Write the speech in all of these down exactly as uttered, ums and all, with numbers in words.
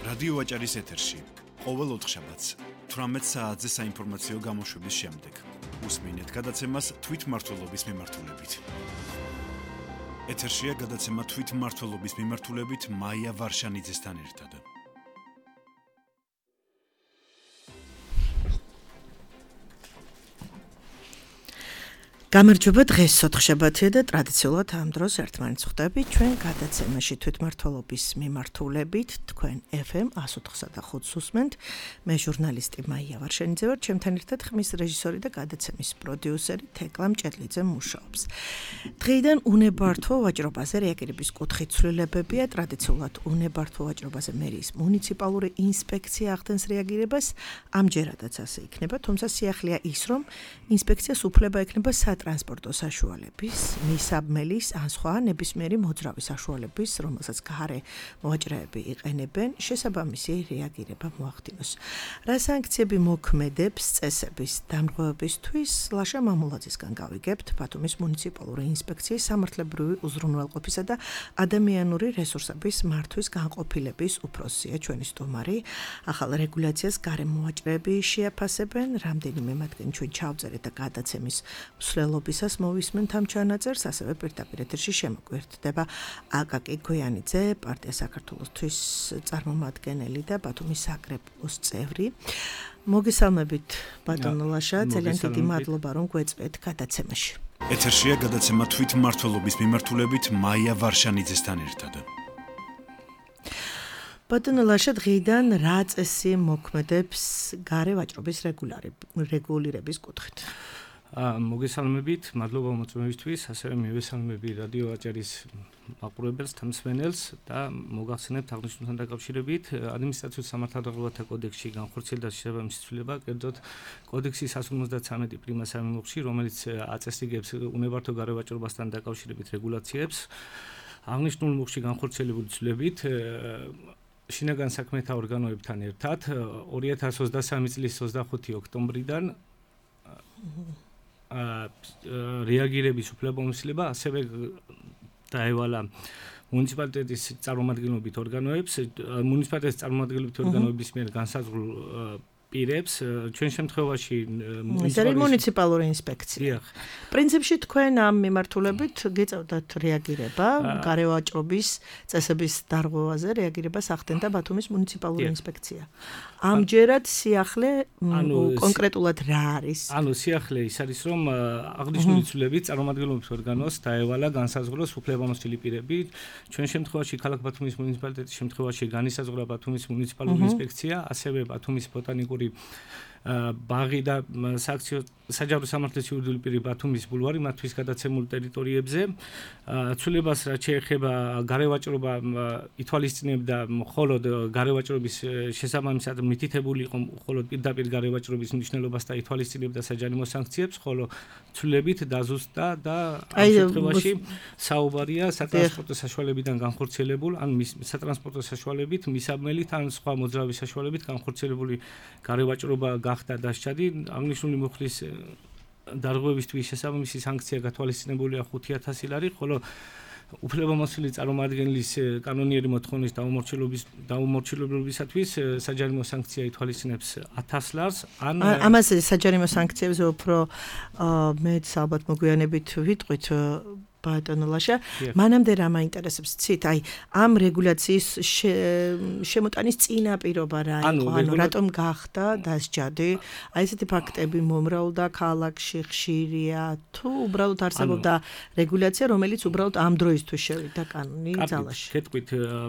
რადიო აჭარის ეთერში ყოველ ოთხშაბათს თვრამეტ საათზე საინფორმაციო გამოშვების შემდეგ უსმინეთ გადაცემას თვითმმართველობის მიმართულებით. ეთერშია გადაცემა თვითმმართველობის მიმართულებით მაია ვარშანიძესთან ერთად. გამარჯობა, დღეს ოთხშაბათია და ტრადიციულად ამ დროს ერთმანეთს ხვდებით ჩვენ გადაცემაში თვითმმართველობის მიმართულებით თქვენ ეფ ემ εκατს ოცდახუთს უსმენთ. მე ჟურნალისტი მაია ვარშანიძე ვარ, ჩემთან ერთად ხმის რეჟისორი და გადაცემის პროდიუსერი თეკლა მჭედლიძე მუშაობს. დღეიდან უნებართვო ვაჭრობაზე რეაგირების კუთხით ცვლილებებია. ტრადიციულად უნებართვო ვაჭრობაზე მერიის მუნიციპალური ინსპექცია ახდენს რეაგირებას, ამჯერადაც ასე იქნება, თუმცა სიახლეა ის, რომ ინსპექციას უფლება ექნება სატრანსპორტო საშუალების, მისაბმელის ან სხვა ნებისმიერი მოძრავი საშუალების, რომელსაც გარე მოაჭრეები იყენებენ, შესაბამისი რეაგირება მოახდინოს. რა სანქციები მოქმედებს წესების დამრღვევებისთვის, ლაშა მამულაძისგან გავიგებთ, ბათუმის მუნიციპალური ინსპექციის სამართლებრივი უზრუნველყოფისა და ადამიანური რესურსების მართვის განყოფილების უფროსია ჩვენი სტუმარი. ახალ რეგულაციას გარე მოაჭრეები შეაფასებენ, რამდენიმე მათგანი ჩვენ ჩავწერეთ და გადაცემის მსვლელობისას მოვისმენთ ამ ჩანაწერს, ასევე პირდაპირ ეთერში შემოგვერთდება აკაკი გოიანიძე, პარტია საქართველოსთვის წარმომადგენელი და ბათუმის საკრებულოს წევრი. მოგესალმებით ბატონო ლაშა, ძალიან დიდი მადლობა რომ გვეწვეთ გადაცემაში. ეთერშია გადაცემა თვითმმართველობის მიმართულებით მაია ვარშანიძესთან ერთად. ბატონო ლაშა, დღეიდან რა წესი მოქმედებს გარე ვაჭრობის რეგულირების კუთხით? მოგესალმებით, მადლობა მოწვევისთვის, ასევე მივესალმები რადიო აჭარის მაყურებელს, თამსმენელს და მოგახსენებთ აღნიშნულთან დაკავშირებით ადმინისტრაციულ სამართალდაღობათა კოდექსში განხორციელდა შესაბამისი ცვლილება, კერძოდ კოდექსის εκას ორმოცდათვრამეტი პრიმა სამიმუხში, რომელიც აწესრიგებს უნებართვო გარე ვაჭრობასთან დაკავშირებით რეგულაციებს. აღნიშნულ მუხში განხორციელებული ცვლილებით შინაგან საქმეთა ორგანოებთან ერთად ორი ათას ოცდასამი წლის ოცდახუთი ოქტომბრიდან რეაგირების უფლებამოსილება ასევე დაევალა მუნიციპალიტეტის წარმომადგენლობით ორგანოებს, მუნიციპალიტეტის წარმომადგენლობით ორგანოების მიერ განსაზღვრულ პირებს, ჩვენ შემთხვევაში მუნიციპალური ინსპექცია. პრინციპში თქვენ ამ მიმართულებით გეწევდათ რეაგირება, გარე ვაჭრობის წესების დარღვევაზე რეაგირებას ახდენდა ბათუმის მუნიციპალური ინსპექცია. ამჯერად სიახლე კონკრეტულად რა არის? ანუ სიახლე ის არის, რომ აღნიშნული ცვლილებით წარმომადგენლობის ორგანოს დაევალა განსაზღვროს უფლებამოსილი პირები. ჩვენ შემთხვევაში ქალაქ ბათუმის მუნიციპალიტეტის შემთხვევაში განისაზღვრა ბათუმის მუნიციპალური ინსპექცია, ასევე ბათუმის ბოტანიკური ბაღი და სააქციო საჯარო სამართლის იურიდიული პირი ბათუმის ბულვარი მათთვის გადაცემულ ტერიტორიებზე. ცვლილებას რაც შეეხება გარე ვაჭრობა ითვალისწინებდა მხოლოდ გარე ვაჭრობის შესაბამისად მითითებული იყო მხოლოდ პირდაპირ გარე ვაჭრობის მნიშვნელობას და ითვალისწინებდა საჯარიმო სანქციებს, ხოლო ცვლილებით დაზუსტდა და ამ შემთხვევაში საუბარია სატრანსპორტო საშუალებიდან განხორციელებულ ან სატრანსპორტო საშუალებით, მისაბმელით ან სხვა მოძრავი საშუალებით განხორციელებული გარე ვაჭრობა გახდა დასჯადი. აღნიშნული მუხლის დარღვევისთვის შესაბამისი სანქცია გათვალისწინებულია ხუთი ათასი ლარი, ხოლო უფლებამოსილი წარმომადგენლის კანონიერი მოთხოვნის დაუმორჩილების დაუმორჩილებისათვის საჯარიმო სანქცია ითვალისწინებს ათას ლარს. ან ამაზე საჯარიმო სანქციებზე უფრო მეც ალბათ მოგვიანებით ვიტყვით ბატონო ლაშა, მანამდე რა მაინტერესებს ცით, აი ამ რეგულაციის შემოტანის წინაპირობა რა იყო, ანუ რატომ გახდა დასჯადი? აი ესეთი ფაქტები მომრავლდა ქალაქში, ხშირია თუ უბრალოდ არსებობდა რეგულაცია, რომელიც უბრალოდ ამ დროისთვის შევიდა კანონი ძალაში? გეტყვით,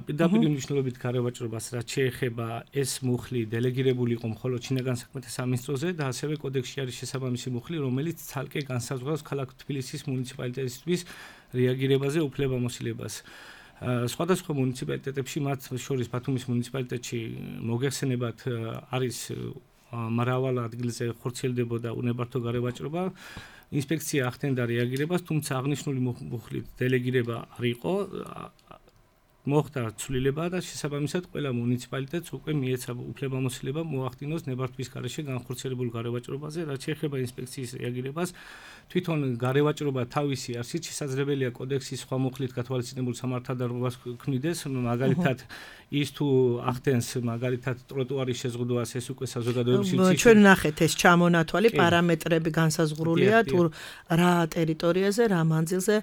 პირდაპირ მნიშვნელობით გარე ვაჭრობას რაც შეეხება ეს მუხლი დელეგირებული იყო მხოლოდ შინაგან საქმეთა სამინისტროზე და ასევე კოდექსში არის შესაბამისი მუხლი, რომელიც ცალკე განსაზღვრავს ქალაქ თბილისის მუნიციპალიტეტისთვის რეაგირებაზე უფლებამოსილებას. სხვადასხვა მუნიციპალიტეტებში, მათ შორის ბათუმის მუნიციპალიტეტში მოგეხსენებათ არის მრავალ ადგილზე ხორციელდებოდა უნებართვო გარე ვაჭრობა. ინსპექცია ახდენდა რეაგირებას, თუმცა აღნიშნული მუხლით დელეგირება არ იყო. მოხდა ცვლილება და შესაბამისად ყველა მუნიციპალიტეტს უკვე მიეცა უფლებამოსილება მოახდინოს ნებართვის გარეშე განხორციელებულ გარევაჭრობაზე, რაც შეეხება ინსპექციის რეაგირებას. თვითონ გარევაჭრობა თავისი არსით შესაძლებელია კოდექსის სხვა მუხლით გათვალისწინებულ სამართალდარღვევას ქმნიდეს, მაგალითად ის თუ ახდენს მაგალითად ტროტუარის შეზღუდვას, ეს უკვე საზოგადოების სივრცეში. ჩვენ ნახეთ ეს ჩამონათვალი პარამეტრები განსაზღვრულია თუ რა ტერიტორიაზე, რა მანძილზე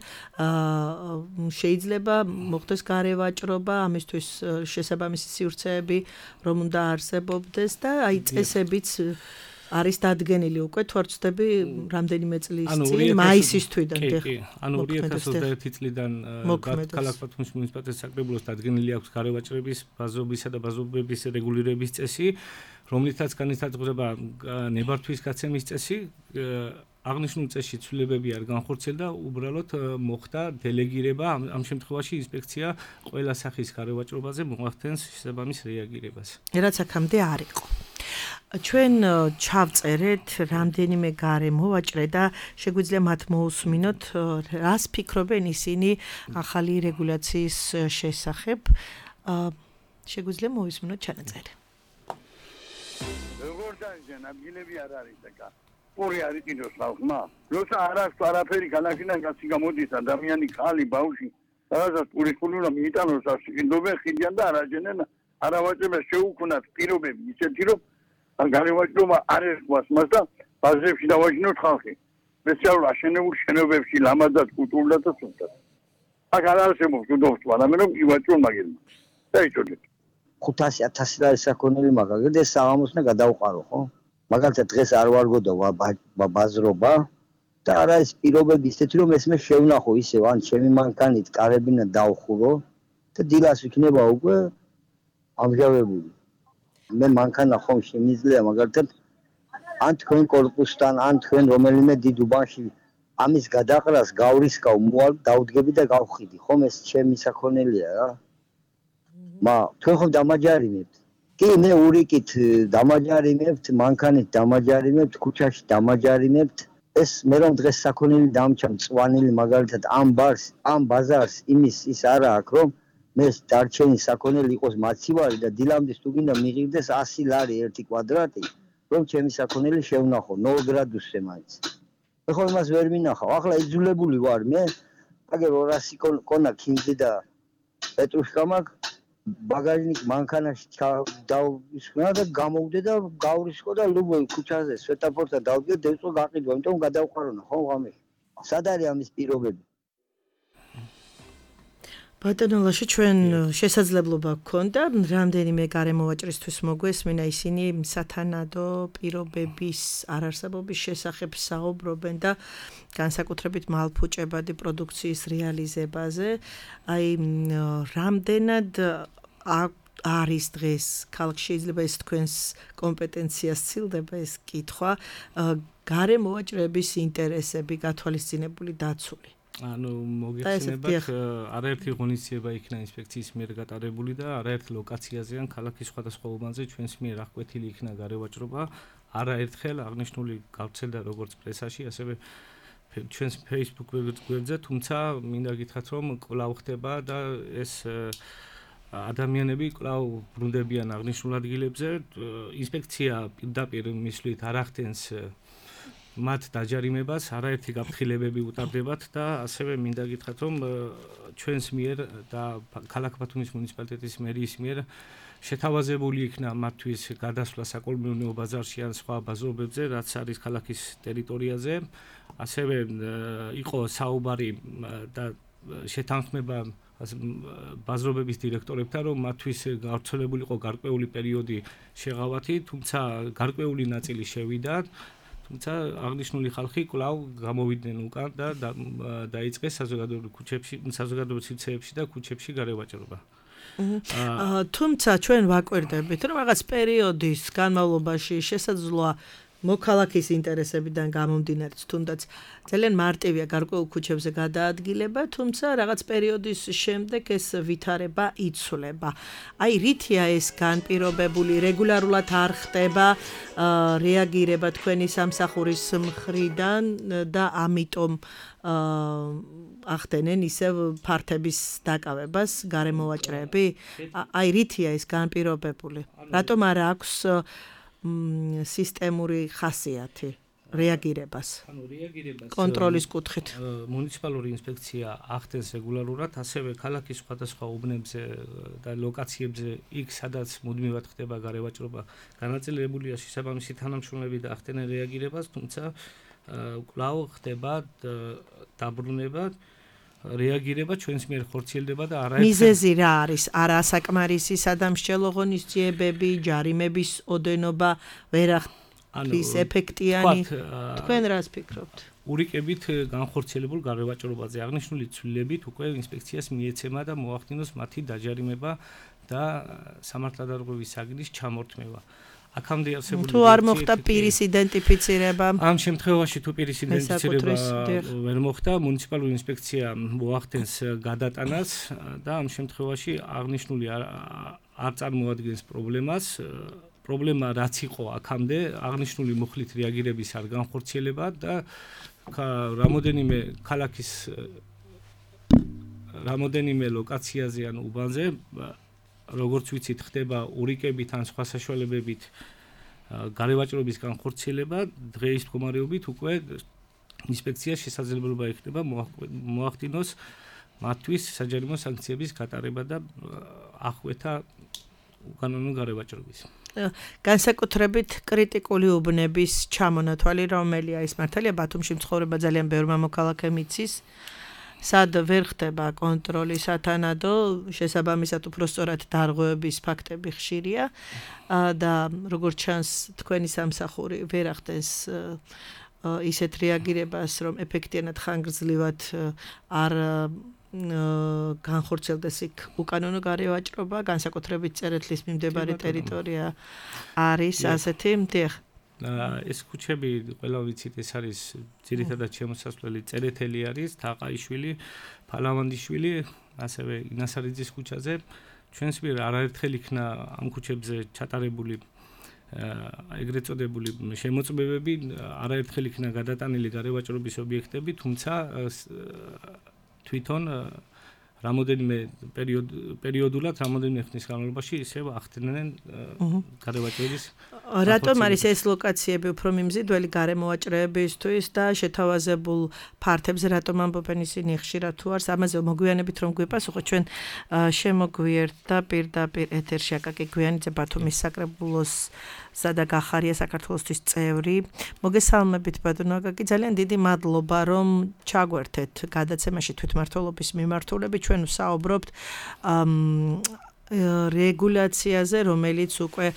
შეიძლება მოხდეს გარევაჭრობა, ამისთვის შესაბამისი სივრცეები რომ უნდა არსებობდეს და აი წესებიც არის დადგენილი უკვე თუ არ ვცდები რამდენიმე წლის წინ მაისის თვიდან კი ანუ ორი ათას ოცდაერთი წლიდან ქალაქ ბათუმის მუნიციპალიტეტის საკრებულოს დადგენილი აქვს გარევაჭრების ბაზრობისა და ბაზრობების რეგულირების წესი, რომლითაც განისაზღვრება ნებართვის გაცემის წესი. აღნიშნულ წესში ცვლილებები არ განხორციელდა, უბრალოდ მოხდა დელეგირება, ამ შემთხვევაში ინსპექცია ყველა სახის გარევაჭრობაზე მოახდენს შესაბამის რეაგირებას. რაც აქამდე არ იყო. ჩვენ ჩავწერეთ რამდენიმე გარემოვაჭრე და შეგვიძლია მათ მოусმინოთ, რას ფიქრობენ ისინი ახალი რეგულაციის შესახებ. შეგვიძლია მოვისმინოთ ჩანაწერი. როგორ დაიჯენ, ადგილები არ არის აკა. პური არ იყიდოს ხალხმა. როცა არ აქვს არაფერი განახინა კაცი გამოდის ადამიანი, ხალი, ბავშვი, რაღაცა პურის ფულურა მიიტანოს ასიკინდობენ ხიდიან და არაჯენენ არავაჭრებას შეუქმნათ პირობები ისეთი რომ გარევაჭრობა არ ერქვას მას და ბაზრებში დავაჟინოთ ხალხი. სპეციალურ აშენებულ შენობებში ლამაზად, კულტურულად და სუსტად. აქ არ არსებობს უდობთ, მაგრამ რომ ივაჭრონ მაგერმა. დაიჭოდეთ. ხუთასი ათასი ლარი საქონელი მაგალითად ეს საღამოს უნდა გადავყარო, ხო? მაგალითად დღეს არ ვარგოდა ბაზრობა და არა ეს პირობები ისეთი რომ ეს მე შევნახო ისევ ან ჩემი მანქანით კარებინა დავხურო და დილას იქნება უკვე ამჟავებული. მე მანქანა ხომ შემიძლია მაგალითად ან თქვენ კორპუსთან ან თქვენ რომელიმე დიდ უბანში ამის გადაყრას გავრისკავ მოვალ დავდგები და გავხიდი ხომ ეს ჩემი საქონელია რა. მა თქვენ ხომ დამაჯარიმებთ კი მე ურიკით დამაჯარიმებთ, მანქანით დამაჯარიმებთ, ქუჩაში დამაჯარიმებთ. ეს მე რომ დღეს საქონელი დამჩა მწვანილი მაგალითად ამ ბარს, ამ ბაზარს იმის ის არა აქვს რომ მე დარჩენი საქონელი იყოს მაცივარი და დილამდე თუ გინდა მიღირდეს ასი ლარი ერთი კვადრატი, რომ ჩემი საქონელი შევნახო ნულ გრადუსზე მაინც. მე ხო იმას ვერ მინახავ. ახლა იძულებული ვარ მე, აგერ ორასი კონა ქინძი და პეტრუშკა მაქვს. ბაგაჟნიკ მანქანაში დავისხნა და გამოვდე და გავრისკო და ლუბო ქუჩაზე სვეტაფორთან დავდგე დევწო გაყიდვა, იმიტომ გადავყარონა ხო ღამე. სად არის ამის პირობები? ბატონოლაში ჩვენ შესაძლებლობა გქონდა რამდენიმე გარემოვაჭრისთვის მოგვესმინა ისინი სათანადო პირობების არარსებობის შესახებ საუბრობენ და განსაკუთრებით მალფუჭებადი პროდუქციის რეალიზებაზე. აი რამდენად არის დღეს ქალაქში შეიძლება ეს თქვენს კომპეტენციას ცილდება ეს კითხვა გარემოვაჭრების ინტერესები გათვალისწინებული დაცული. ანუ მოგეხსენებათ არაერთი ღონისძიება იქნა ინსპექციის მიერ გატარებული და არაერთ ლოკაციაზე ან ქალაქის სხვადასხვა უბანზე ჩვენს მიერ აღკვეთილი იქნა გარევაჭრობა. არაერთხელ აღნიშნული გავრცელდა როგორც პრესაში, ასევე ჩვენს Facebook გვერდზე, თუმცა მინდა გითხრათ რომ კვლავ ხდება და ეს ადამიანები კვლავ ბრუნდებიან აღნიშნულ ადგილებზე. ინსპექცია პირდაპირ მისვლით არ ახდენს მათ დაჯარიმებას, არაერთი გაფრთხილებები უტარდებათ და ასევე მინდა გითხრათ რომ ჩვენს მიერ და ქალაქ ბათუმის მუნიციპალიტეტის მერიის მიერ შეთავაზებული იქნა მათთვის გადასვლა საკოლმეურნეო ბაზარში ან სხვა ბაზრობებზე, რაც არის ქალაქის ტერიტორიაზე. ასევე იყო საუბარი და შეთანხმება ბაზრობების დირექტორებთან, რომ მათთვის გავრცელებული იყო გარკვეული პერიოდი შეღავათი, თუმცა გარკვეული ნაწილი შევიდა. თუმცა აღნიშნული ხალხი კვლავ გამოვიდნენ უკან და დაიწყეს საზოგადოებრივ ქუჩებში, საზოგადოებრივ სივრცეებში და ქუჩებში გარევაჭრობა. თუმცა ჩვენ ვაკვირდებით, რომ რაღაც პერიოდის განმავლობაში შესაძლოა მოქალაქის ინტერესებიდან გამომდინარე თუნდაც ძალიან მარტივია გარკვეულ ქუჩებზე გადაადგილება, თუმცა რაღაც პერიოდის შემდეგ ეს ვითარება იცვლება. აი რითია ეს განპირობებული, რეგულარულად არ ხდება რეაგირება თქვენი სამსახურის მხრიდან და ამიტომ ახდენენ ისევ ფართების დაკავებას გარემოვაჭრეები? აი რითია ეს განპირობებული? რატომ არ აქვს სისტემური ხასიათი რეაგირებას? ანუ რეაგირებას კონტროლის კუთხით მუნიციპალური ინსპექცია ახდენს რეგულარულად, ასევე ქალაქის სხვადასხვა უბნებზე და ლოკაციებზე, იქ სადაც მუდმივად ხდება გარევაჭრობა, განაწილებულია შესაბამისი თანამშრომლები და ახდენენ რეაგირებას, თუმცა კვლავ ხდება დაბრუნება, რეაგირება ჩვენს მიერ ხორციელდება და არაერთი მიზეზი რა არის? არასაკმარისი სადამსჯელო ღონისძიებები, ჯარიმების ოდენობა, ვერ ახდენს ეფექტიანი. თქვენ რას ფიქრობთ? ურიკებით განხორციელებულ გარევაჭრობაზე აღნიშნული ცვლილებით უკვე ინსპექციას მიეცემა და მოახდინოს მათი დაჯარიმება და სამართლდარღვევის საგნის ჩამორთმევა. აქამდე არსებული თუ არ მოხდა პირის იდენტიფიცირება, ამ შემთხვევაში თუ პირის იდენტიფიცირება ვერ მოხდა, მუნიციპალური ინსპექცია მოახდენს გადატანას და ამ შემთხვევაში აღნიშნული არ წარმოადგენს პრობლემას. პრობლემა რაც იყო აქამდე, აღნიშნული მუხლით რეაგირების არ განხორციელება და რამოდენიმე ქალაქის რამოდენიმე ლოკაციაზე ან უბანზე როგორც ვიცით, ხდება ურიკებით ან სხვა საშუალებებით გარევაჭრობის განხორციელება, დღეის მდგომარეობით უკვე ინსპექცია შესაძლებლობა იხდება მოახდინოს მათთვის საჯარიმო სანქციების გატარება და აღკვეთა უკანონო გარევაჭრობის. განსაკუთრებით კრიტიკული უბნების ჩამონათვალი, რომელია ის მართალია ბათუმში მცხოვრება ძალიან ბევრმა მოქალაქემ იცის, სად ვერ ხდება კონტროლი სათანადო, შესაბამისად უпростоრად დარღვევების ფაქტები ხშირია და როგორც ჩანს თქვენი სამსახური ვერ ახდენს ისეთ რეაგირებას, რომ ეფექტიანად ხანგრძლივად არ განხორციელდეს იქ უკანონო გარევაჭრობა, განსაკუთრებით წერეთლის მიმდებარე ტერიტორია არის ასეთი. დიახ. ეს ქუჩები ყველა ვიცით, ეს არის ძირითადად შემოსასვლელი წერეთელი არის, თაყაიშვილი, ფალავანდიშვილი, ასევე ინასარიძის ქუჩაზე. ჩვენს მიერ არაერთხელ იქნა ამ ქუჩებზე ჩატარებული ეგრეთ წოდებული შემოწმებები, არაერთხელ იქნა გადატანილი გარევაჭრობის ობიექტები, თუმცა თვითონ რამოდენიმე პერიოდულად, რამოდენიმე ხნის განმავლობაში ისევ ახდენენ გარევაჭრების. რატომ არის ეს ლოკაციები უფრო მიმზიდველი გარემოვაჭრეებისთვის და შეთავაზებულ ფართებზე რატომ ამბობენ ისინი ხშირად თუ არს? ამაზე მოგვიანებით რომ გვიპასუხოთ, ჩვენ შემოგვიერთა პირდაპირ ეთერში აკაკი გვიანიძე, ბათუმის საკრებულოს სადა გახარია საქართველოსთვის წევრი. მოგესალმებით ბატონო აკაკი, ძალიან დიდი მადლობა რომ ჩაგვერთეთ გადაცემაში თვითმმართველობის მიმართულებით. ჩვენ ვსაუბრობთ რეგულაციაზე, რომელიც უკვე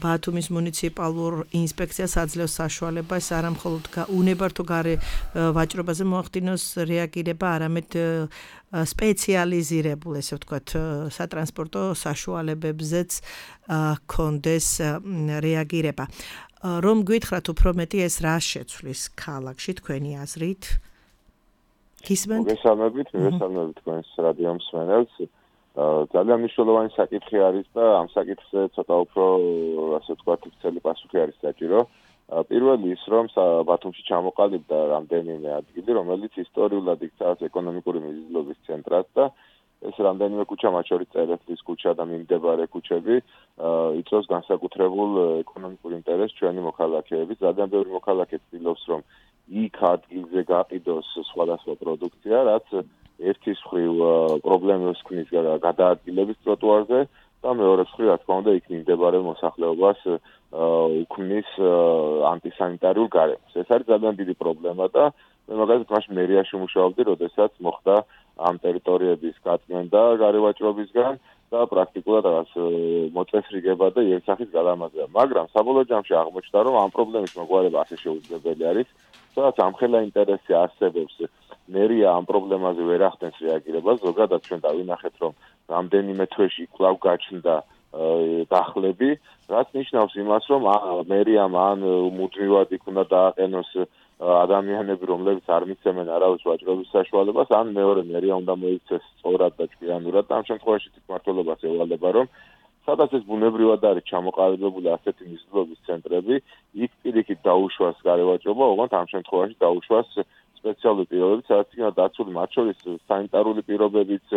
ბათუმის მუნიციპალურ ინსპექციას აძლევს საშუალებას არა მხოლოდ უნებართო გარევაჭრობაზე მოახდინოს რეაგირება, არამედ სპეციალიზირებულ, ესე ვთქვათ, სატრანსპორტო საშუალებებზეც კონდეს რეაგირება. რომ გითხრათ უფრო მეტი ეს რა შეცვლის ქალაქში თქვენი აზრით? გისმენთ? მოგესალმებით, მოგესალმებით თქვენს რადიო მსმენელს. ძალიან მნიშვნელოვანი საკითხი არის და ამ საკითხზე ცოტა უფრო, ასე ვთქვათ, ვრცელი პასუხი არის საჭირო. პირველი ის, რომ ბათუმში ჩამოყალიბდა რამდენიმე ადგილი, რომელიც ისტორიულად იქცა ეკონომიკური მიზიდულობის ცენტრად და ეს რამდენიმე ქუჩა, მათ შორის წერეთლის ქუჩა და მიმდებარე ქუჩები, იწვევს განსაკუთრებულ ეკონომიკურ ინტერესს ჩვენი მოქალაქეების. ძალიან ბევრი მოქალაქე ცდილობს, რომ იქ ადგილზე გაყიდოს სხვადასხვა პროდუქცია, რაც ერთის მხრივ პრობლემებს ქმნის გადაადგილების ტროტუარზე და მეორეს მხრივ, რა თქმა უნდა, იქ მიმდებარე მოსახლეობას უქმნის ანტისანიტარიულ გარემოს. ეს არის ძალიან დიდი პრობლემა და მე მაგალითად მაშინ მერიაში მუშაობდი, როდესაც მოხდა ამ ტერიტორიების გაწმენდა გარევაჭრობისგან და პრაქტიკულად რაღაც მოწესრიგება და იერსახის გადამაზრდა. მაგრამ საბოლოო ჯამში აღმოჩნდა, რომ ამ პრობლემის მოგვარება ასე შეუძლებელი არის, სადაც ამხელა ინტერესი არსებობს. მერია ამ პრობლემაზე ვერ ახდენს რეაგირებას, ზოგადად ჩვენ დავინახეთ, რომ რამდენიმე თვეში კვლავ გაჩნდა დახლები, რაც ნიშნავს იმას, რომ მერიამ ან მუდმივად იქ უნდა დააყენოს ადამიანები, რომლებიც არ მიცემენ არავის ვაჭრობის საშუალებას, ან მეორე მერია უნდა მოიქცეს სწორად და ჭკვიანურად და ამ შემთხვევაში თვითმმართველობას ევალება, რომ სადაც ეს ბუნებრივად არის ჩამოყალიბებული ასეთი მიზნობის ცენტრები, იქ პირიქით დაუშვას გარევაჭრობა, ოღონდ ამ შემთხვევაში დაუშვას სპეციალური პირობებით, სადაც იქნება დაცული მათ შორის სანიტარული პირობებიც,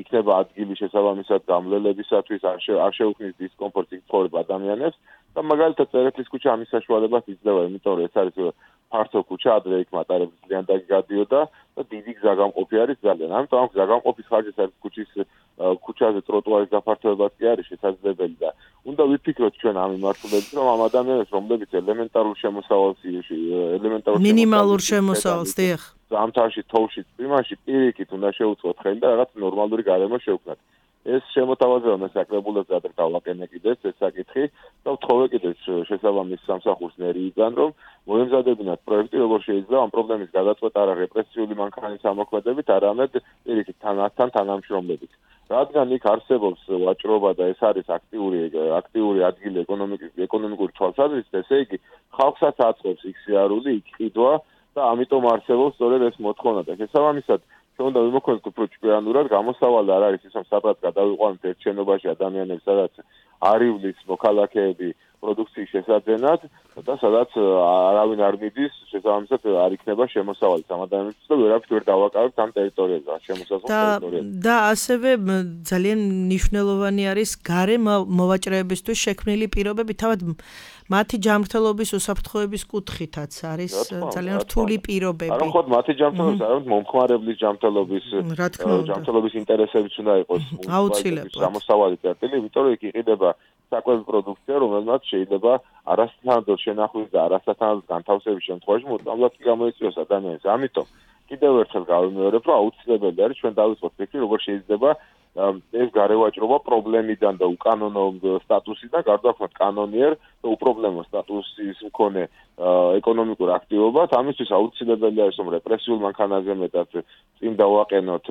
იქნება ადგილი შესაბამისად გამლელებისათვის, არ შეუქმნის დისკომფორტს იქ ცხოვრებ ადამიანებს და მაგალითად წერეთის ქუჩა ამის საშუალებას იძლევა, იმიტომ რომ ეს არის ფართო ქუჩა, ადრე იქ მატარებლი ძალიან დაგადიოდა და დიდი გზაგამყოფი არის ძალიან. ამიტომ ამ გზაგამყოფის ხარჯის არის ქუჩის ქუჩაზე ტროტუარის გაფართოებაც კი არის შესაძლებელი და უნდა ვიფიქროთ ჩვენ ამ მიმართულებით, რომ ამ ადამიანებს, რომლებიც ელემენტარულ შემოსავალს, ელემენტარულ მინიმალურ შემოსავალს დიახ. ზამთარში, თოვლში, წვიმაში პირიქით უნდა შეუწყოთ ხელი და რაღაც ნორმალური გარემო შევქმნათ. ეს შემოთავაზება მე საკრებულებს ადრე დავაყენე კიდეც ეს საკითხი და ვთხოვე კიდეც შესაბამის სამსახურს მერიიდან, რომ მოემზადებინათ პროექტი, როგორ შეიძლება ამ პრობლემის გადაწყვეტა არა რეპრესიული მანქანის ამოქმედებით, არამედ პირიქით თანასთან თანამშრომლობით. რადგან იქ არსებობს ვაჭრობა და ეს არის აქტიური აქტიური ადგილი ეკონომიკის ეკონომიკური თვალსაზრისით, ესე იგი ხალხსაც აწყობს იქ სიარული, იქ ყიდვა და ამიტომ არსებობს სწორედ ეს მოთხოვნა და შესაბამისად ჩვენ უნდა ვიმოქმედოთ უფრო ჭკვიანურად, გამოსავალი არ არის ის, რომ სადღაც გადავიყვანოთ ერთ შენობაში ადამიანებს, სადაც არ ივლის მოქალაქეები პროდუქციის შესაძენად და სადაც არავინ არ მიდის, შესაბამისად არ იქნება შემოსავალი ამ ადამიანებს და ვერაფრით ვერ დავაკავებთ ამ ტერიტორიაზე, შემოსაზღვრულ ტერიტორიაზე. და ასევე ძალიან მნიშვნელოვანი არის გარე მოვაჭრეებისთვის შექმნილი პირობები, თავად მათი ჯანმრთელობის უსაფრთხოების კუთხითაც არის ძალიან რთული პირობები. არა მხოლოდ მათი ჯანმრთელობის, არამედ მომხმარებლის ჯანმრთელობის ჯანმრთელობის ინტერესებიც უნდა იყოს აუცილებლად შემოსავალი წერტილი, იმიტომ რომ იქ იყიდება საკვები პროდუქცია, რომელსაც შეიძლება არასათანადო შენახვის და არასათანადო განთავსების შემთხვევაში მოწამლად კი გამოიწვიოს ადამიანს. ამიტომ კიდევ ერთხელ გავიმეორებ, რომ აუცილებელი არის ჩვენ დავიწყოთ ფიქრი, როგორ შეიძლება ეს გარევაჭრობა პრობლემიდან და უკანონო სტატუსიდან გარდაქმნათ კანონიერ და უპრობლემო სტატუსის მქონე ეკონომიკურ აქტივობას. ამისთვის აუცილებელი არის, რომ რეპრესიულ მანქანაზე მეტად წინ დავაყენოთ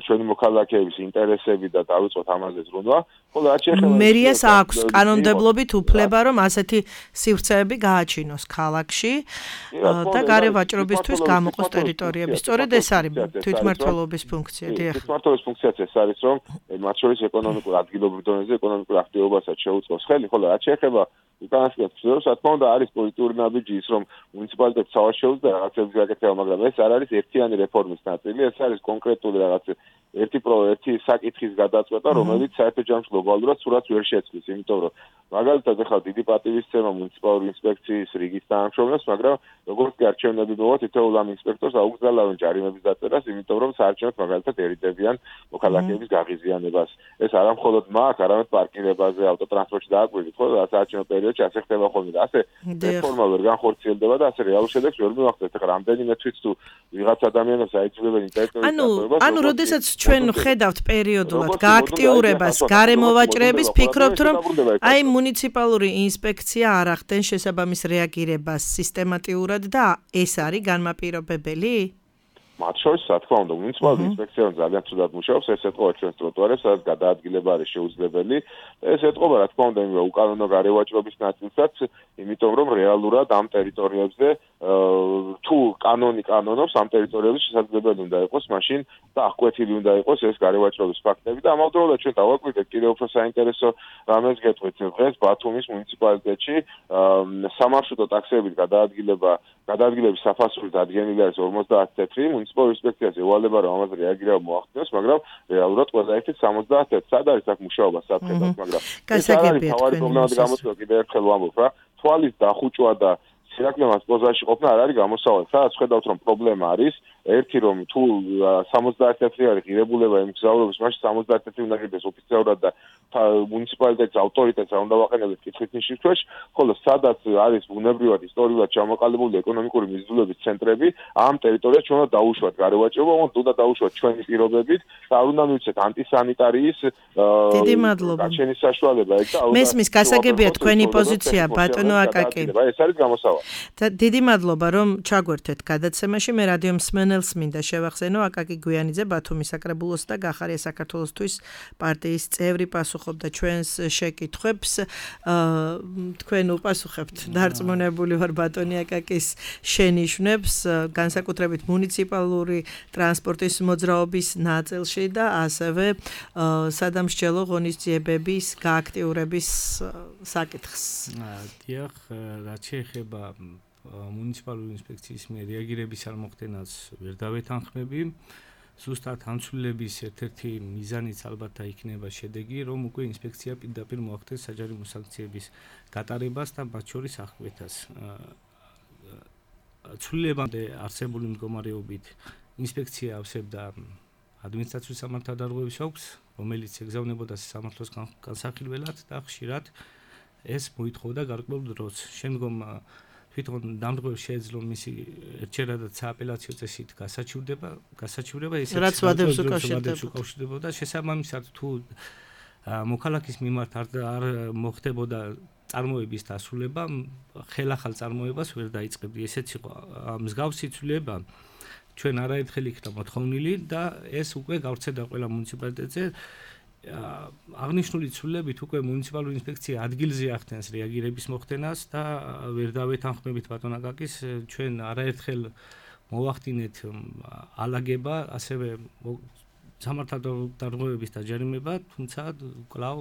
ჩვენი მოქალაქეების ინტერესები და დავიწყოთ ამაზე ზრუნვა. ხოლო რაც შეეხება მერიას აქვს კანონმდებლობით უფლება, რომ ასეთი სივრცეები გააჩინოს ქალაქში და გარევაჭრობისთვის გამოყოს ტერიტორიები. სწორედ ეს არის თვითმმართველობის ფუნქცია. დიახ. თვითმმართველობის ფუნქციაც ეს არის, რომ მათ შორის ეკონომიკურ ადგილობრივ დონეზე ეკონომიკურ აქტივობასაც შეუწყოს ხელი, ხოლო რაც შეეხება უკანასკნელ სფეროს, რა თქმა უნდა, არის პოლიტიკური ნაბიჯი ის, რომ მუნიციპალიტეტს თავად შეუძლია რაღაცების გაკეთება, მაგრამ ეს არ არის ერთიანი რეფორმის ნაწილი, ეს არის კონკრეტული რაღაც ერთი ერთი საკითხის გადაწყვეტა, რომელიც საერთო ჯამში გლობალურად სურათს ვერ შეცვლის, იმიტომ რომ მაგალითად ახლა დიდი პატივისცემა მუნიციპალური ინსპექციის რიგის თანამშრომლებს, მაგრამ როგორც კი არჩევნები მოვა, თითოეულ ამ ინსპექტორს აუგზავნებენ ჯარიმების დაწერას, იმიტომ რომ საარჩევნოდ მაგალითად ერიდებიან მოქალაქეების გაღიზიანებას. ეს არა მხოლოდ მაგ, არამედ პარკირებაზე, ავტოტრანსპორტში დააკვირდით, ხო, საარჩევნო პერიოდში ასე ხდება ხოლმე და ასე რეფორმა ვერ განხორციელდება და ასე რეალურ შედეგს ვერ მივახდენთ. ახლა რამდენიმე თვით თუ ვიღაც ადამიანებს აიძულებენ ინტერნეტზე ანუ ანუ როდესაც ჩვენ ხედავთ პერიოდულად გააქტიურებას გარემოვაჭრეების, ფიქრობთ, რომ აი მუნიციპალური ინსპექცია არ ახდენს შესაბამის რეაგირებას სისტემატიურად და ეს არის განმაპირობებელი? მათ შორის, რა თქმა უნდა, მუნიციპალური ინსპექცია ძალიან ცუდად მუშაობს, ეს ეთყობა ჩვენს ტროტუარებს, სადაც გადაადგილება არის შეუძლებელი. ეს ეთყობა, რა თქმა უნდა, იმенно უკანონო გარევაჭრობის ნაწილსაც, იმიტომ რომ რეალურად ამ ტერიტორიებზე თუ კანონი კანონობს, ამ ტერიტორიებზე შესაძლებელი უნდა იყოს მაშინ და აღკვეთილი უნდა იყოს ეს გარევაჭრობის ფაქტები და ამავდროულად ჩვენ დავაკვირდეთ კიდევ უფრო საინტერესო რამეს გეტყვით. დღეს ბათუმის მუნიციპალიტეტში სამარშრუტო ტაქსიებით გადაადგილება გადაადგილების საფასური დადგენილი არის ორმოცდაათი წუთი. მუნიციპალური ინსპექციას ევალება, რომ ამაზე რეაგირება მოახდინოს, მაგრამ რეალურად ყველა ერთით სამოცდაათი წუთი. სად არის აქ მუშაობა საფრთხედად, მაგრამ ეს არის თავარი პრობლემად გამოწვევა კიდევ ერთხელ ვამბობ რა. თვალის დახუჭვა და სირაკმემას პოზაში ყოფნა არ არის გამოსავალი. სადაც ხედავთ, რომ პრობლემა არის, ერთი რომ თუ სამოცდაათი წუთი არის ღირებულება იმ გზავრობის, მაშინ სამოცდაათი წუთი უნდა გიდეს ოფიციალურად და მუნიციპალიტეტის ავტორიტეტს არ უნდა ვაყენებთ კითხვის ნიშნებში, ხოლო სადაც არის ბუნებრივად ისტორიულად ჩამოყალიბებული ეკონომიკური მიზნულობის ცენტრები, ამ ტერიტორიას ჩვენ უნდა დაუშვათ გარევაჭრობა, უნდა დაუშვათ ჩვენი პირობებით და არ უნდა მივცეთ ანტისანიტარიის დიდი მადლობა. გაჩენის საშუალება ეგ და მესმის გასაგებია თქვენი პოზიცია, ბატონო აკაკი. ეს არის გამოსავალი. და დიდი მადლობა, რომ ჩაგვერთეთ გადაცემაში. მე რადიო მსმენელს ძნელს მინდა შევახსენო, აკაკი გვიანიძე ბათუმის საკრებულოს და გახარია საქართველოსთვის პარტიის წევრი პასუხობდა ჩვენს შეკითხვებს. თქვენ უპასუხებთ დარწმუნებული ვარ ბატონი აკაკის შენიშვნებს, განსაკუთრებით მუნიციპალური ტრანსპორტის მოძრაობის ნაწილში და ასევე სადამსჯელო ღონისძიებების გააქტიურების საკითხს. დიახ, რაც შეეხება მუნიციპალური ინსპექციის მიერ რეაგირების არ მოხდენას ვერ დავეთანხმები. ზუსტად ამცვლელების ერთ-ერთი მიზანიც ალბათ იქნება შედეგი, რომ უკვე ინსპექცია პირდაპირ მოახდენს საჯარიმო სანქციების გატარებას და მათ შორის აღკვეთას. ცვლილებამდე არსებული მდგომარეობით ინსპექცია ავსებდა ადმინისტრაციული სამართალდარღვევის ოლქს, რომელიც ეგზავნებოდა სამართლოს განსახილველად და ხშირად ეს მოითხოვდა გარკვეულ დროს. შემდგომ თვითონ დამდგმელს შეეძლო მისი ერთჯერადად სააპელაციო წესით გასაჩივრდება, გასაჩივრება ისე რაც ვადებს უკავშირდებოდა. შესაბამისად თუ მოქალაქის მიმართ არ არ მოხდებოდა წარმოების დასრულება, ხელახალ წარმოებას ვერ დაიწყებდი. ესეც იყო მსგავსი ცვლილება ჩვენ არაერთხელ იქნა მოთხოვნილი და ეს უკვე გავრცელდა ყველა მუნიციპალიტეტზე. აღნიშნული ცვლილებით უკვე მუნიციპალური ინსპექცია ადგილზე ახდენს რეაგირების მოხდენას და ვერ დავეთანხმებით ბატონ აკაკის, ჩვენ არაერთხელ მოვახდინეთ ალაგება, ასევე სამართალდარღვევების დაჯერიმება, თუმცა კვლავ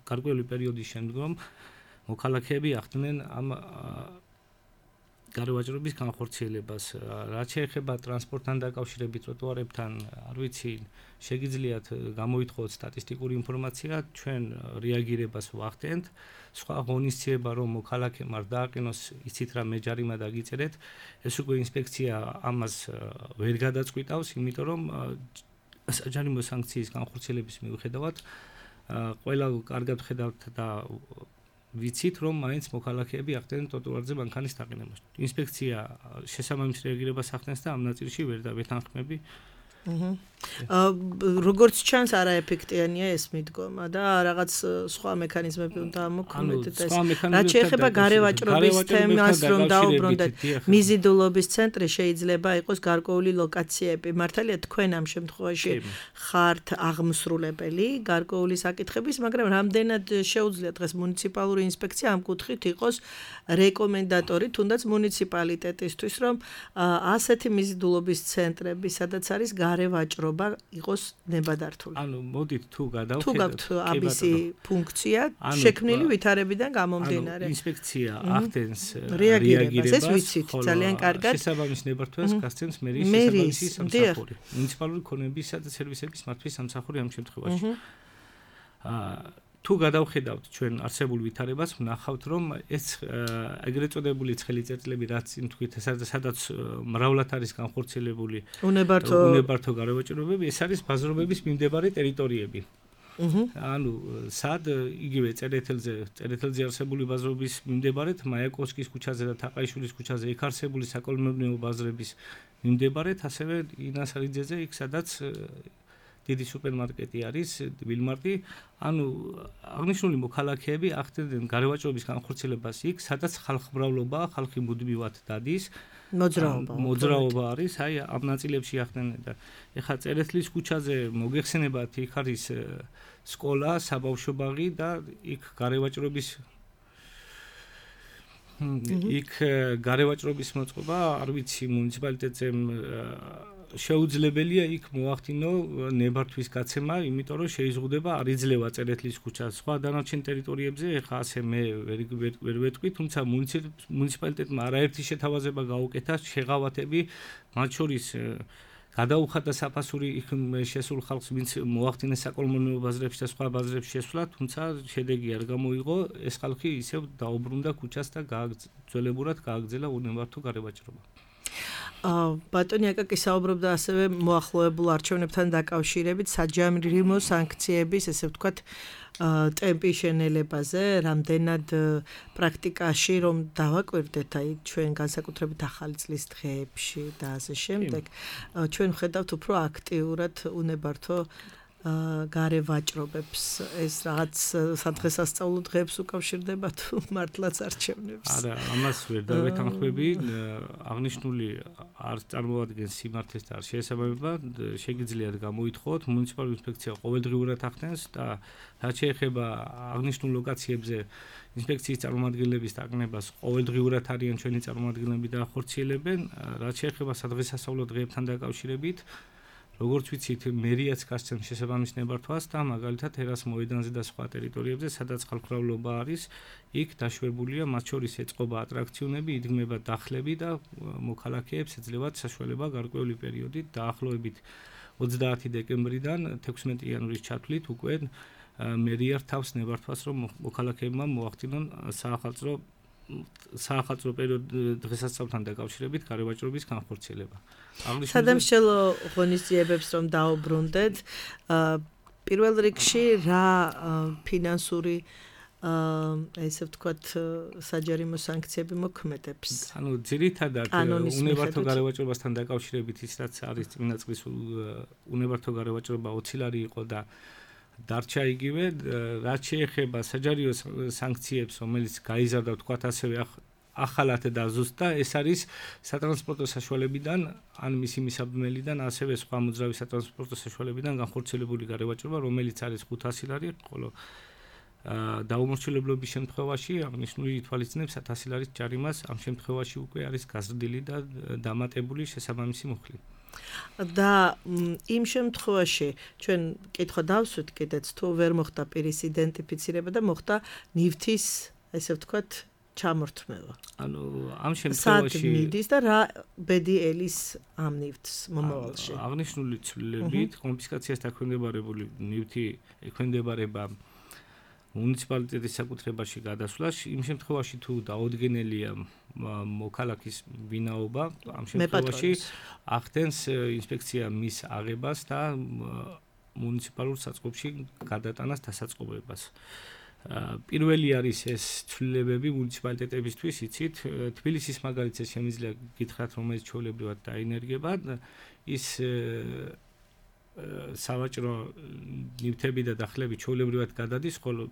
გარკვეული პერიოდის შემდგომ მოქალაქეები ახდენენ ამ გარევაჭრობის განხორციელებას. რაც შეეხება ტრანსპორტთან დაკავშირებით ტროტუარებთან, არ ვიცი, შეგიძლიათ გამოითხოვოთ სტატისტიკური ინფორმაცია, ჩვენ რეაგირებას ვახდენთ. სხვა ღონისძიება რომ მოქალაქემ არ დააყენოს, იცით რა მე ჯარიმა დაგიწერეთ, ეს უკვე ინსპექცია ამას ვერ გადაწყვიტავს, იმიტომ რომ საჯარიმო სანქციის განხორციელების მიუხედავად ყველა კარგად ხედავთ და ვიცით რომ მაინც მოქალაქეები ახდენენ ტროტუარზე მანქანის დაყენებას. ინსპექცია შესაბამის რეაგირებას ახდენს და ამ ნაწილში ვერ დავეთანხმები. როგორც ჩანს არაეფექტიანია ეს მიდგომა და რაღაც სხვა მექანიზმები უნდა ამოქმედოთ. რაც შეეხება გარევაჭრობის თემას რომ დაუბრუნდეთ, მიზიდულობის ცენტრი შეიძლება იყოს გარკვეული ლოკაციები. მართალია თქვენ ამ შემთხვევაში ხართ აღმსრულებელი გარკვეული საკითხების, მაგრამ რამდენად შეუძლია დღეს მუნიციპალური ინსპექცია ამ კუთხით იყოს რეკომენდატორი თუნდაც მუნიციპალიტეტისთვის, რომ ასეთი მიზიდულობის ცენტრები, სადაც არის გარევაჭრობა იყოს ნებადართული. ანუ მოდით თუ გადავხედოთ, თუ გაქვთ ამისი ფუნქცია შექმნილი ვითარებიდან გამომდინარე. ანუ ინსპექცია ახდენს რეაგირებას, ეს ვიცით ძალიან კარგად. შესაბამის ნებართვას გასცემს მერიის შესაბამისი სამსახური. მუნიციპალური ქონებისა და სერვისების მართვის სამსახური ამ შემთხვევაში. აა თუ გადავხედავთ ჩვენ არსებულ ვითარებას, ვნახავთ რომ ეს ეგრეთ წოდებული ცხელი წერტილები რაც იმ თქვით, სადაც მრავლად არის განხორციელებული უნებართო უნებართო გარევაჭრობები, ეს არის ბაზრობების მიმდებარე ტერიტორიები. ანუ სად იგივე წერეთელზე, წერეთელზე არსებული ბაზრობის მიმდებარედ, მაიაკოვსკის ქუჩაზე და თაყაიშვილის ქუჩაზე იქ არსებული საკოლმეურნეო ბაზრების მიმდებარედ, ასევე ინასარიძეზე, იქ სადაც დიდი სუპერმარკეტი არის, ვილმარტი, ანუ აღნიშნული მოქალაქეები ახდენენ გარევაჭრობის განხორციელებას იქ, სადაც ხალხმრავლობა, ხალხი მუდმივად დადის, მოძრაობა. მოძრაობა არის, აი ამ ნაწილებში ახდენენ და ეხლა წერეთლის ქუჩაზე მოგეხსენებათ, იქ არის სკოლა, საბავშვო ბაღი და იქ გარევაჭრობის იქ გარევაჭრობის მოწყობა, არ ვიცი, მუნიციპალიტეტზე შეუძლებელია იქ მოახდინო ნებართვის გაცემა, იმიტომ რომ შეიზღუდება არ იძლევა წერეთლის ქუჩა. სხვა დანარჩენ ტერიტორიებზე ეხა ასე მე ვერ ვეტყვი, თუმცა მუნიციპალიტეტმა არაერთი შეთავაზება გაუკეთა, შეღავათები, მათ შორის გადაუხადა საფასური იქ შესულ ხალხს, ვინც მოახდინეს საკოლმეურნეო ბაზრებში და სხვა ბაზრებში შესვლა, თუმცა შედეგი არ გამოიღო, ეს ხალხი ისევ დაუბრუნდა ქუჩას და გააგრძელებურად გააგრძელა უნებართო გარევაჭრობა. ბატონი აკაკი საუბრობდა ასევე მოახლოებულ არჩევნებთან დაკავშირებით საჯარიმო სანქციების, ესე ვთქვათ, ტემპის შენელებაზე, რამდენად პრაქტიკაში რომ დავაკვირდეთ, აი ჩვენ განსაკუთრებით ახალი წლის დღეებში და ასე შემდეგ, ჩვენ ვხედავთ უფრო აქტიურად უნებართო გარე ვაჭრობებს ეს რაღაც სადღესასწაულო დღეებს უკავშირდება თუ მართლაც არჩევნებს? არა, ამას ვერ დავეთანხმები. აღნიშნული არ წარმოადგენს სიმართლეს და არ შეესაბამება. შეგიძლიათ გამოითხოვოთ, მუნიციპალური ინსპექცია ყოველდღიურად ახდენს და რაც შეეხება აღნიშნულ ლოკაციებზე ინსპექციის წარმომადგენლების დაკნებას ყოველდღიურად არიან ჩვენი წარმომადგენლები და ახორციელებენ. რაც შეეხება სადღესასწაულო დღეებთან დაკავშირებით, როგორც ვიცით, მერიაც გასცემს შესაბამის ნებართვას და მაგალითად ერას მოედანზე და სხვა ტერიტორიებზე, სადაც ხალხმრავლობა არის, იქ დაშვებულია მათ შორის ეწყობა ატრაქციონები, იდგმება დახლები და მოქალაქეებს ეძლევათ საშუალება გარკვეული პერიოდით დაახლოებით ოცდაათი დეკემბრიდან თექვსმეტი იანვრის ჩათვლით უკვე მერია რთავს ნებართვას, რომ მოქალაქეებმა მოახდინონ საახალწლო საახალწლო პერიოდ დღესასწაულთან დაკავშირებით გარევაჭრობის განხორციელება. სადამსჯელო ღონისძიებებს რომ დაუბრუნდეთ, პირველ რიგში რა ფინანსური ესე ვთქვათ საჯარიმო სანქციები მოქმედებს? ანუ ძირითადად უნებართო გარევაჭრობასთან დაკავშირებით ის რაც არის წინა წლის უნებართო გარევაჭრობა ოცი ლარი იყო და დარჩა იგივე, რაც შეეხება საჯარო სანქციებს, რომელიც გაიზარდა ვთქვათ ასევე ახალად და ზუსტად, ეს არის სატრანსპორტო საშუალებიდან, ან მისი მისაბმელიდან, ასევე სხვა მოძრავი სატრანსპორტო საშუალებიდან განხორციელებული გარევაჭრობა, რომელიც არის ხუთასი ლარი, ხოლო დაუმორჩილებლობის შემთხვევაში აღნიშნული ითვალისწინებს ათასი ლარის ჯარიმას, ამ შემთხვევაში უკვე არის გაზრდილი და დამატებული შესაბამისი მუხლი. და იმ შემთხვევაში ჩვენ კითხვა დავსვით კიდეც თუ ვერ მოხდა პირის იდენტიფიცირება და მოხდა ნივთის ესე ვთქვათ ჩამორთმევა. ანუ ამ შემთხვევაში სად მიდის და რა ბედი ელის ამ ნივთს მომავალში? აღნიშნული ცვლილებით კონფისკაციას დაქვემდებარებული ნივთი ექვემდებარება მუნიციპალიტეტის საკუთრებაში გადასვლას, იმ შემთხვევაში თუ დაუდგენელია მოქალაქის ვინაობა, ამ შემთხვევაში ახდენს ინსპექცია მის აღებას და მუნიციპალურ საწყობში გადატანას დასაწყობებას. პირველი არის ეს ცვლილებები მუნიციპალიტეტებისთვის, იცით, თბილისის მაგალითზე შემიძლია გითხრათ, რომელიც ჩვეულებრივად დაინერგება, ის სავაჭრო ნივთები და დახლები ჩვეულებრივად გადადის, ხოლო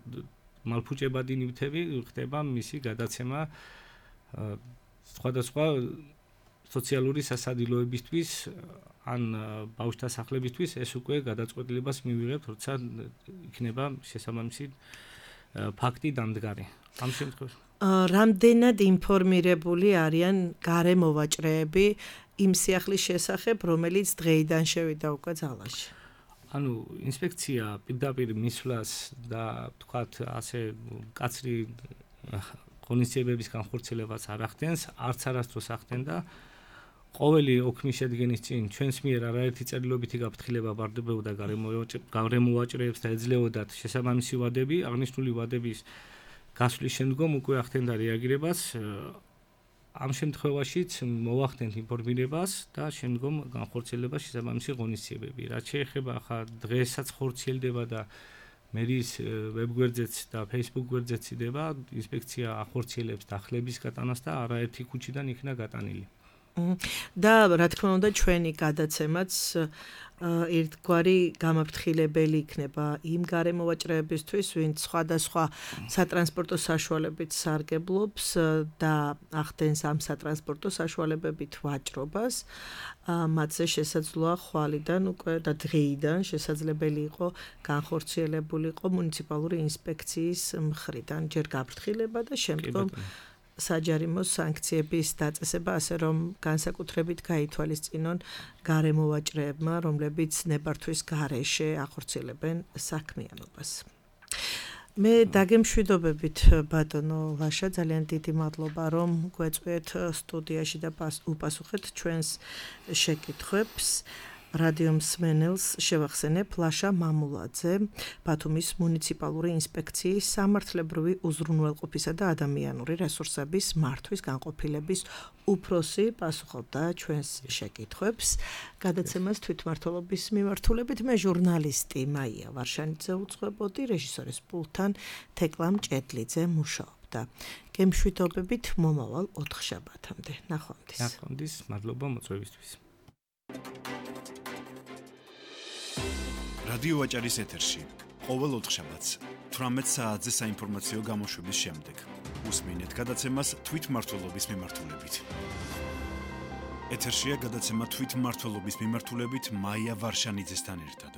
მალფუჭებადი ნივთები ხდება მისი გადაცემა სხვადასხვა სოციალური სასადილოებისთვის ან ბავშვთა სახლებისთვის, ეს უკვე გადაწყვეტილებას მივიღებთ, როცა იქნება შესაბამისი ფაქტი დამდგარი. ამ შემთხვევაში რამდენად ინფორმირებული არიან გარემოვაჭრეები იმ სიახლის შესახებ, რომელიც დღეიდან შევიდა უკვე ძალაში? ანუ ინსპექცია პირდაპირ მისვლას და თქვათ ასე კაცრი ღონისძიებების განხორციელებას არ ახდენს, არც არასდროს ახდენდა. ყოველი ოქმის შედგენის წინ ჩვენს მიერ არაერთი წერილობითი გაფრთხილება ბარდებოდა გარემოვაჭრეებს და ეძლეოდათ შესაბამისი ვადები, აღნიშნული ვადების გასვლის შემდგომ უკვე ახდენდა რეაგირებას. ამ შემთხვევაშიც მოახდენთ ინფორმირებას და შემდგომ განხორციელება შესაბამისი ღონისძიებები. რაც შეეხება ახლა დღესაც ხორციელდება და მერის ვებგვერდზეც და Facebook გვერდზეც იდება, ინსპექცია ახორციელებს დახლების გატანას და არაერთი ქუჩიდან იქნა გატანილი. და რა თქმა უნდა ჩვენი გადაცემაც ერთგვარი გამაფრთხილებელი იქნება იმ გარემოვაჭრეებისთვის, ვინც სხვადასხვა სატრანსპორტო საშუალებით სარგებლობს და ახდენს ამ სატრანსპორტო საშუალებებით ვაჭრობას. მათზე შესაძლოა ხვალიდან უკვე და დღეიდან შესაძლებელი იყო განხორციელებულიყო მუნიციპალური ინსპექციის მხრიდან ჯერ გაფრთხილება და შემდგომ საჯარიმო სანქციების დაწესება, ასე რომ განსაკუთრებით გაითვალისწინონ გარემოვაჭრეებმა, რომლებიც ნებართვის გარეშე ახორციელებენ საქმიანობას. მე დაგემშვიდობებით ბატონო ლაშა, ძალიან დიდი მადლობა რომ გვეწვიეთ სტუდიაში და უპასუხეთ ჩვენს შეკითხვებს. რადიო მსმენელს შევახსენებ ლაშა მამულაძე, ბათუმის მუნიციპალური ინსპექციის სამართლებრივი უზრუნველყოფისა და ადამიანური რესურსების მართვის განყოფილების უფროსი პასუხობდა ჩვენს შეკითხვებს. გადაცემას თვითმმართველობის მიმართულებით მე ჟურნალისტი მაია ვარშანიძე უძღვებოდი, რეჟისორის პულტთან თეკლა მჭედლიძე მუშაობდა. გემშვიდობებით მომავალ ოთხშაბათამდე. ნახვამდის. ნახვამდის, მადლობა მოწვევისთვის. რადიო ვაჭარის ეთერში ყოველ ოთხშაბათს თვრამეტ საათზე საინფორმაციო გამოშვების შემდეგ უსმინეთ გადაცემას თვითმმართველობის მიმართულებით. ეთერშია გადაცემა თვითმმართველობის მიმართულებით მაია ვარშანიძესთან ერთად.